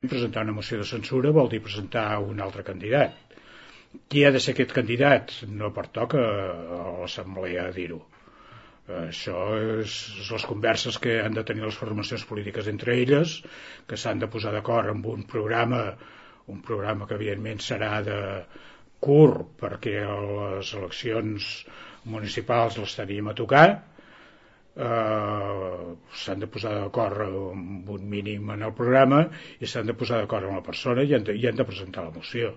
Presentar una moció de censura vol dir presentar un altre candidat. Qui ha de ser aquest candidat? No pertoca a l'Assemblea dir-ho. Això és les converses que han de tenir les formacions polítiques entre elles, que s'han de posar d'acord amb un programa que evidentment serà de curt, perquè les eleccions municipals les tenim a tocar. S'han de posar d'acord amb un mínim en el programa i s'han de posar d'acord amb la persona i han de presentar la moció.